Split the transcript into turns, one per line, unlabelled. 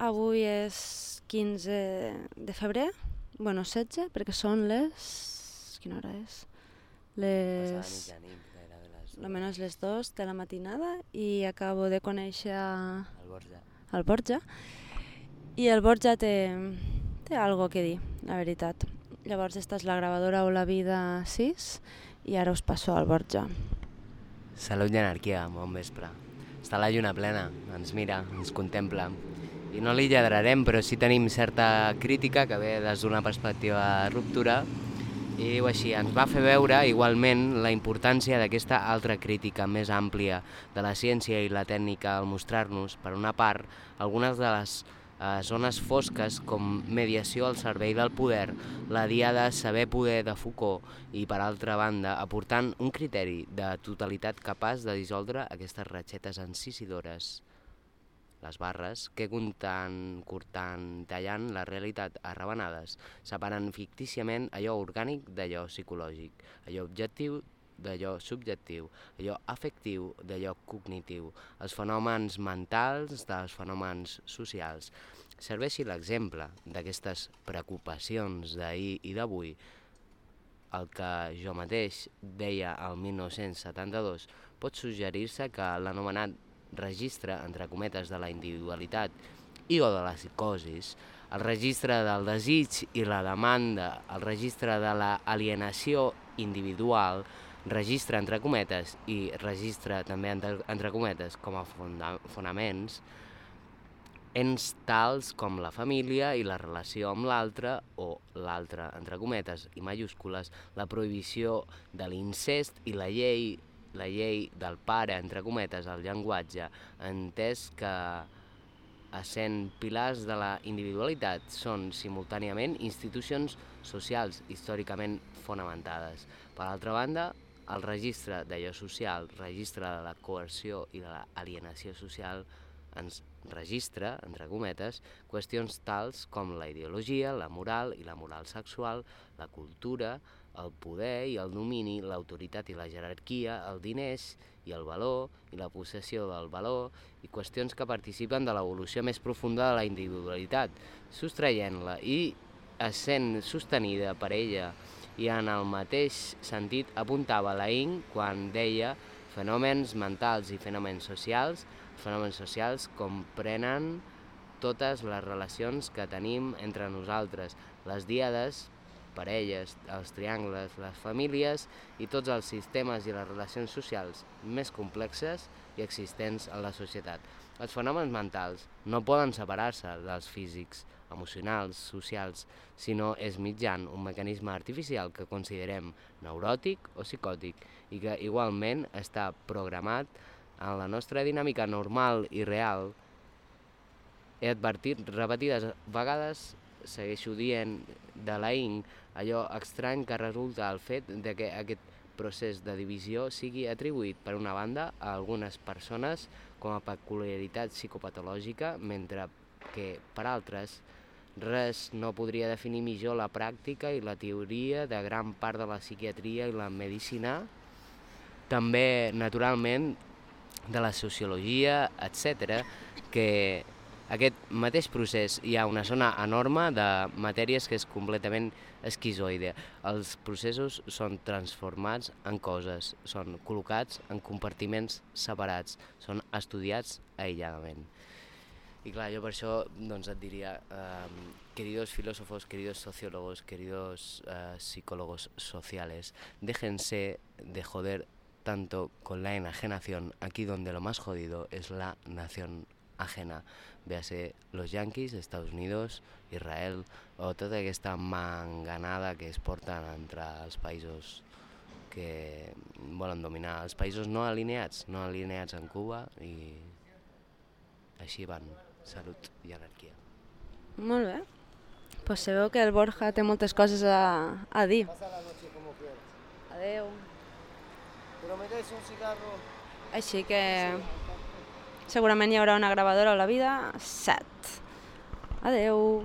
Avui és 15 de febrer, bueno, 16, perquè són les... Quina hora és? Almenys les 2 de la matinada i acabo de conèixer el Borja. I el Borja té algo que dir, la veritat. Llavors esta és la gravadora o la vida 6 i ara us passo al Borja.
Salut i anarquia, bon vespre. Està la lluna plena, ens mira, ens contempla. I no li lladrarem, però sí tenim certa crítica que ve des d'una perspectiva de ruptura i així ens va fer veure igualment la importància d'aquesta altra crítica més àmplia de la ciència i la tècnica al mostrar-nos, per una part, algunes de les zones fosques com mediació al servei del poder, la diada saber poder de Foucault i, per altra banda, aportant un criteri de totalitat capaç de dissoldre aquestes ratxetes encisidores, les barres, que cortant, tallant la realitat a rebenades, separant fictíciament allò orgànic d'allò psicològic, allò objectiu d'allò subjectiu, allò afectiu d'allò cognitiu, els fenòmens mentals dels fenòmens socials. Serveixi l'exemple d'aquestes preocupacions d'ahir i d'avui, el que jo mateix deia el 1972, pot suggerir-se que l'anomenat registre, entre cometes, de la individualitat i o de la psicosis, el registre del desig i la demanda, el registre de l'alienació individual, registre entre cometes i registre també entre cometes com a fonaments, ens tals com la família i la relació amb l'altre, o l'altre entre cometes i majúscules, la prohibició de l'incest i la llei del pare, entre cometes, el llenguatge, entès que, essent pilars de la individualitat, són simultàniament institucions socials històricament fonamentades. Per altra banda, el registre d'allò social, registre de la coerció i de l'alienació social, ens registra, entre cometes, qüestions tals com la ideologia, la moral i la moral sexual, la cultura, el poder i el domini, l'autoritat i la jerarquia, el diners i el valor i la possessió del valor, i qüestions que participen de l'evolució més profunda de la individualitat, sostraient-la i essent sostenida per ella. I en el mateix sentit apuntava Laing quan deia fenòmens mentals i fenòmens socials comprenen totes les relacions que tenim entre nosaltres, les díades, parelles, els triangles, les famílies i tots els sistemes i les relacions socials més complexes i existents en la societat. Els fenòmens mentals no poden separar-se dels físics, emocionals, socials, sinó és mitjan un mecanisme artificial que considerem neuròtic o psicòtic i que igualment està programat en la nostra dinàmica normal i real. He advertit repetides vegades, segueixo dient, de Laing, allò estrany que resulta el fet de que aquest procés de divisió sigui atribuït, per una banda, a algunes persones com a peculiaritat psicopatològica, mentre que, per altres, res no podria definir millor la pràctica i la teoria de gran part de la psiquiatria i la medicina, també, naturalment, de la sociologia, etc., que aquest mateix procés hi ha una zona enorme de matèries que és completament esquizoide. Els processos són transformats en coses, són col·locats en compartiments separats, són estudiats aïlladament. Y claro, yo por eso et diría, queridos filósofos, queridos sociólogos, queridos psicólogos sociales, déjense de joder tanto con la enajenación, aquí donde lo más jodido es la nación ajena. Véase los yanquis, Estados Unidos, Israel, o tota aquesta manganada que es porten entre els països que volen dominar, els països no alineats en Cuba, i així van. Salut i anarquia.
Molt bé. Pues se veu que el Borja té moltes coses a dir. Adeu.
Però me des un cigarro.
Així que segurament hi haurà una gravadora a la vida 7. Adeu.